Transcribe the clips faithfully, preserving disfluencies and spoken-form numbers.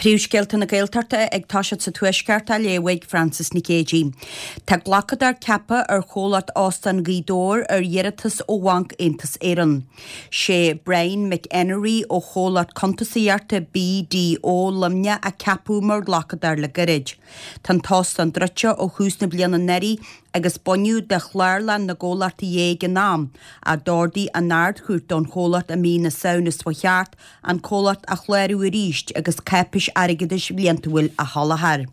Príomhscéalta na Gaeltachta ag toiseacht sa Tuaisceart á léamh ag Frances Nic Géadaigh. Tá glacadóir ceaptha ar chomhlacht Óstán Ghaoth Dobhair ar iarratas ó Bhanc Aontas Éireann. Sé Brian McEnery ó chomhlacht cuntasaíochta BDO Luimneach a ceapadh mar ghlacadóir le gairid. Tá an t-óstán druidte ó thús na bliana anuraidh agus baineadh de chlárlann na gcomhlachtaí é ag an am a d'ordaigh an Ard-Chúirt don chomhlacht i mí na Samhna seo thart an comhlacht a chlárú arís agus cáipéis airgeadais bhliantúil a sholáthar.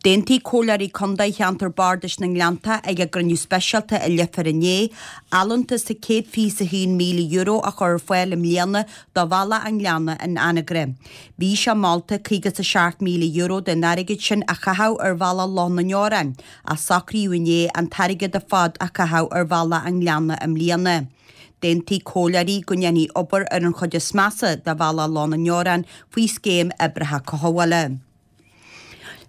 D'aontaigh Comhairleoirí Contae Cheantar Bardais na nGleannta ag a gcruinniú speisialta i Leifear inné, allúntas de céad fiche a haon míle euro a chur ar fáil i mbliana do Bhealach an Ghleanna in Anagaire. Bhí sé molta caoga a seacht míle euro den airgead sin a chaitheamh ar Bhealach Loch na nDeorán, ach socraíodh inné an t-airgead ar fad a chaitheamh ar Bhealach an Ghleanna i mbliana. D'aontaigh comhairleoirí go ndéanfaí obair ar an chuid is measa de Bhealach Loch na nDeorán faoi scéim oibreacha cothabhála.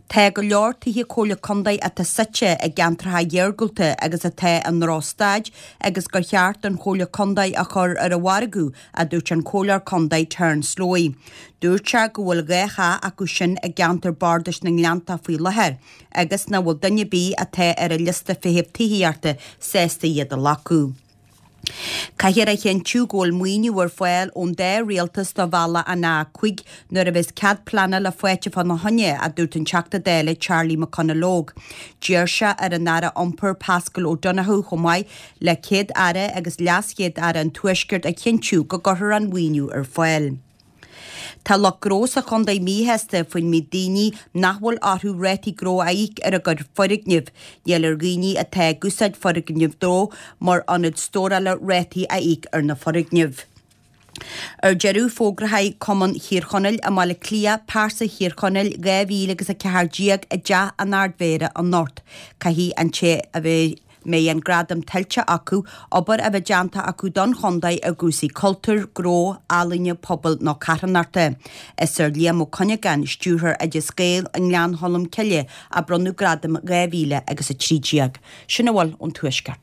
Tá go leor tithe comhairle contae atá suite i gceantracha iargúlta agus atá i ndrochstaid agus gur cheart don chomhairle contae a chur ar an mhargadh, a dúirt an comhairleoir contae Terence Slowey. Dúirt sé go bhfuil dhá theach acu sin i gceantar Bardais na nGleannta faoi láthair agus nach bhfuil duine ar bith atá ar an liosta feithimh tithíochta sásta iad a ghlacadh. Caithfear a chinntiú go bhfuil maoiniú ar fáil ón dá rialtas do bhealach an A cúig nuair a bheas cead pleanála faighte fána choinne, a dúirt an Teachta Dála Charlie McConalogue. D'iarr sé ar an Aire Iompair Paschal O'Donoghue chomh maith le Céad Aire agus Leas-Chéad Aire an Tuaiscirt a chinntiú go gcuirfear an maoiniú ar fáil. Tá lucht gnó sa chontae míshásta faoin méid daoine nach bhfuil orthu rátaí gnó a íoc ar a gcuid foirgneamh. Níl ar dhaoine atá ag úsáid foirgneamh gnó mar ionad stórála rátaí a íoc ar na foirgnimh. Ar deireadh fógraíodh Cumann Thír Chonaill i mBaile Átha Cliath pearsa Thír Chonaill dhá mhíle agus a ceathair déag i dTeach an Ardmhéara anocht. Caithfidh an té a bheidh mbeidh an gradam tuillte acu, obair a bheith déanta acu don chontae i gcúrsaí cultúir, gnó, ealaíne, pobail nó carthanachta. Is ar Liam Ó Cuinneagáin, stiúrthóir Oideas Gael i nGleann Cholm Cille a bronnadh gradam dhá mhíle agus a trí déag. Sin a bhfuil ón Tuaisceart.